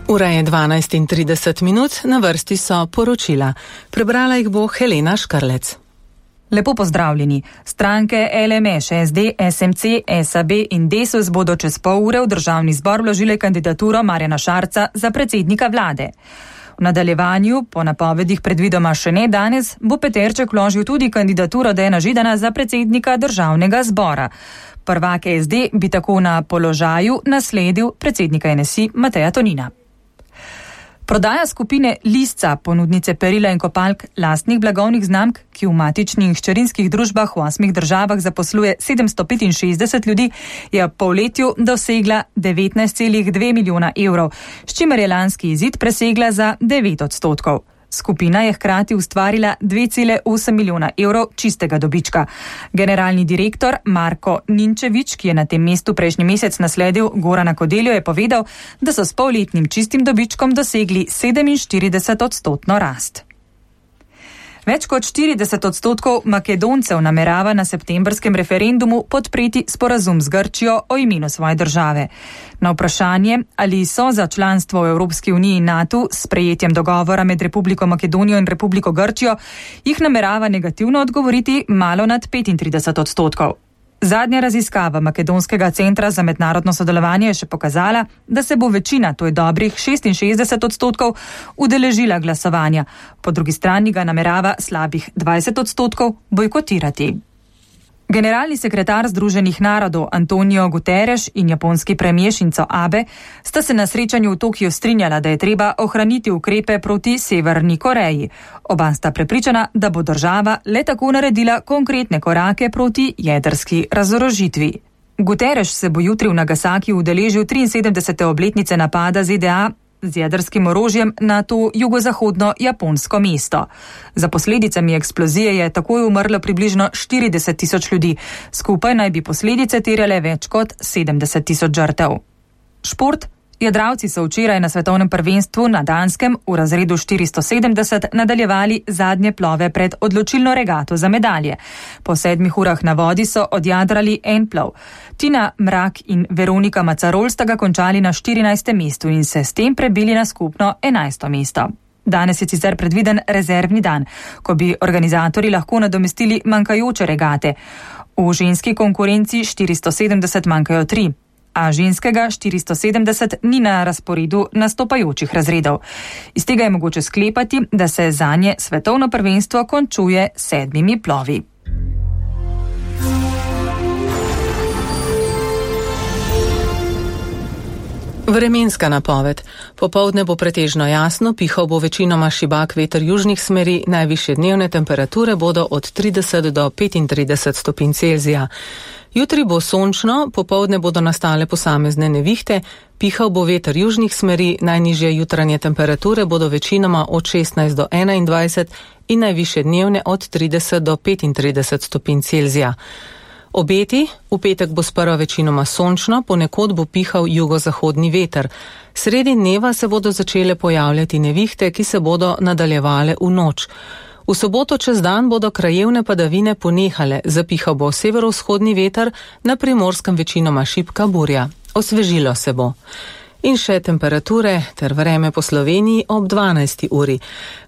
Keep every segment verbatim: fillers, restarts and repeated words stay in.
Ura je dvanajst in trideset minut, na vrsti so poročila. Prebrala jih bo Helena Škrlec. Lepo pozdravljeni. Stranke L M Š, S D, S M C, S A B in Desus bodo čez pol ure v državni zbor vložile kandidaturo Marjana Šarca za predsednika vlade. V nadaljevanju, po napovedih predvidoma še ne danes, bo Peterček vložil tudi kandidaturo Dejana Židana za predsednika državnega zbora. Prvak S D bi tako na položaju nasledil predsednika N S I Mateja Tonina. Prodaja skupine Lisca, ponudnice perila in kopalk lastnih blagovnih znamk, ki v matičnih in hčerinskih družbah v osmih državah zaposluje sedemsto petinšestdeset ljudi, je v polletju dosegla devetnajst celih dve milijona evrov, s čimer je lanski izid presegla za devet odstotkov. Skupina je hkrati ustvarila dve celih osem milijona evrov čistega dobička. Generalni direktor Marko Ninčevič, ki je na tem mestu prejšnji mesec nasledil Gorana Kodeljo, je povedal, da so s polletnim čistim dobičkom dosegli sedeminštirideset odstotno rast. Več kot štirideset odstotkov Makedoncev namerava na septembrskem referendumu podpreti sporazum z Grčijo o imenu svoje države. Na vprašanje, ali so za članstvo v Evropski uniji in NATO s sprejetjem dogovora med Republiko Makedonijo in Republiko Grčijo, jih namerava negativno odgovoriti malo nad petintrideset odstotkov. Zadnja raziskava Makedonskega centra za mednarodno sodelovanje je še pokazala, da se bo večina, to je dobrih šestinšestdeset odstotkov, udeležila glasovanja. Po drugi strani ga namerava slabih dvajset odstotkov bojkotirati. Generalni sekretar Združenih narodov Antonio Guterres in japonski premijer Shinzo Abe sta se na srečanju v Tokiu strinjala, da je treba ohraniti ukrepe proti Severni Koreji. Oba sta prepričana, da bo država le tako naredila konkretne korake proti jedrski razorožitvi. Guterres se bo jutri v Nagasakiju udeležil triinsedemdesete obletnice napada Z D A z jedrskim orožjem na to jugozahodno japonsko mesto. Za posledicami eksplozije je takoj umrlo približno štirideset tisoč ljudi. Skupaj naj bi posledice terjale več kot sedemdeset tisoč žrtev. Šport. Jadralci so včeraj na svetovnem prvenstvu na Danskem v razredu štiristo sedemdeset nadaljevali zadnje plove pred odločilno regato za medalje. Po sedmih urah na vodi so odjadrali en plov. Tina Mrak in Veronika Macarol sta ga končali na štirinajstem mestu in se s tem prebili na skupno enajsto mesto. Danes je sicer predviden rezervni dan, ko bi organizatorji lahko nadomestili manjkajoče regate. V ženski konkurenci štiristo sedemdeset manjkajo tri. A ženskega štiristo sedemdeset ni na razporedu nastopajočih razredov. Iz tega je mogoče sklepati, da se zanje svetovno prvenstvo končuje sedmimi plovi. Vremenska napoved. Popoldne bo pretežno jasno, pihal bo večinoma šibak veter južnih smeri, najvišje dnevne temperature bodo od trideset do petintrideset stopinj Celzija. Jutri bo sončno, popoldne bodo nastale posamezne nevihte, pihal bo veter južnih smeri, najnižje jutranje temperature bodo večinoma od šestnajst do enaindvajset in najvišje dnevne od trideset do petintrideset stopinj Celzija. Obeti, v petek bo sprva večinoma sončno, ponekod bo pihal jugozahodni veter. Sredi dneva se bodo začele pojavljati nevihte, ki se bodo nadaljevale v noč. V soboto čez dan bodo krajevne padavine ponehale, zapihal bo severovzhodni veter, na Primorskem večinoma šibka burja. Osvežilo se bo. In še temperature ter vreme po Sloveniji ob dvanajsti uri.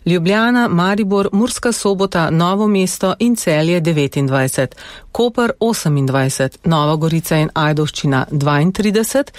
Ljubljana, Maribor, Murska Sobota, Novo mesto in Celje devetindvajset, Koper osemindvajset, Nova Gorica in Ajdovščina dvaintrideset,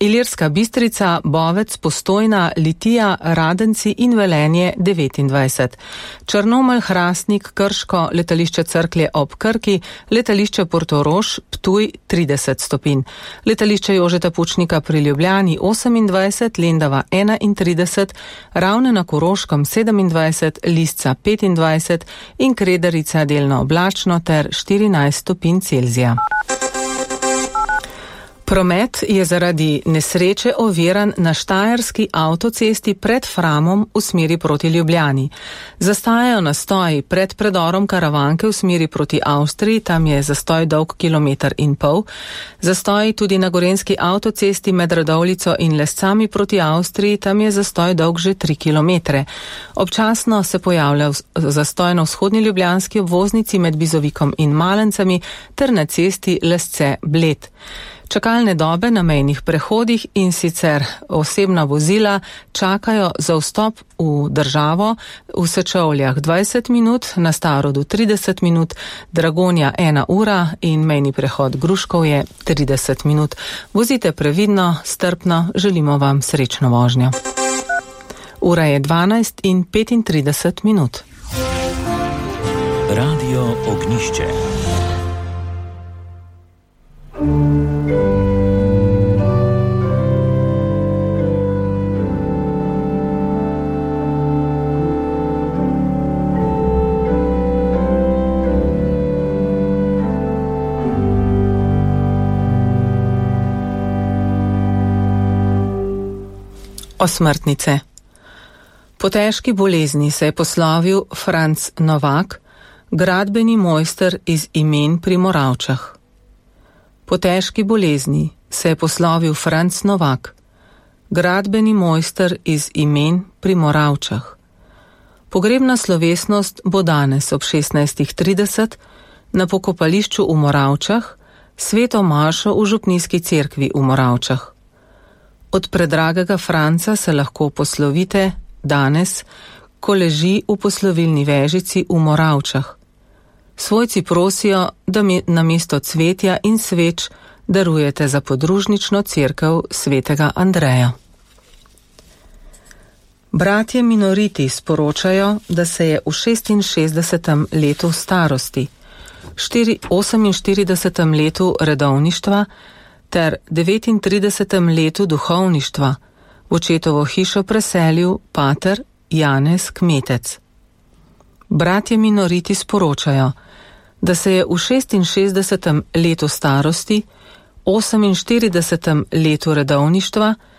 Ilirska Bistrica, Bovec, Postojna, Litija, Radenci in Velenje devetindvajset. Črnomelj, Hrastnik, Krško, letališče Cerklje ob Krki, letališče Portorož, Ptuj trideset stopinj. Letališče Jožeta Pučnika pri Ljubljani osemindvajset, Lendava enaintrideset, Ravne na Koroškem sedemindvajset, Lisca petindvajset in Kredarica delno oblačno ter štirinajst stopinj Celzija. Promet je zaradi nesreče oviran na štajerski avtocesti pred Framom v smeri proti Ljubljani. Zastajajo nastoji pred predorom Karavanke v smeri proti Avstriji, tam je zastoj dolg kilometer in pol. Zastoji tudi na gorenjski avtocesti med Radovljico in Lescami proti Avstriji, tam je zastoj dolg že tri kilometre. Občasno se pojavlja zastoj na vzhodni ljubljanski obvoznici med Bizovikom in Malencami ter na cesti Lesce-Bled. Čakalne dobe na mejnih prehodih in sicer osebna vozila čakajo za vstop v državo v Sečovljah dvajset minut, na Starodu trideset minut, Dragonja ena ura in mejni prehod Gruškov je trideset minut. Vozite previdno, strpno, želimo vam srečno vožnjo. Ura je dvanajst in petintrideset minut. Radio Ognišče. Osmrtnice. Po težki bolezni se je poslovil Franc Novak, gradbeni mojster iz Imen pri Moravčah. Po težki bolezni se je poslovil Franc Novak, gradbeni mojster iz Imen pri Moravčah. Pogrebna slovesnost bo danes ob šestnajstih trideset na pokopališču v Moravčah, sveto mašo v župnijski cerkvi v Moravčah. Od predragega Franca se lahko poslovite danes, ko leži v poslovilni vežici v Moravčah. Svojci prosijo, da mi namesto cvetja in sveč darujete za podružnično cerkev svetega Andreja. Bratje minoriti sporočajo, da se je v šestinšestdesetem letu starosti, oseminštiridesetem letu redovništva ter devetintridesetem letu duhovništva v očetovo hišo preselil pater Janez Kmetec. Bratje minoriti sporočajo, da se je v šestinšestdesetem letu starosti, oseminštiridesetem letu redovništva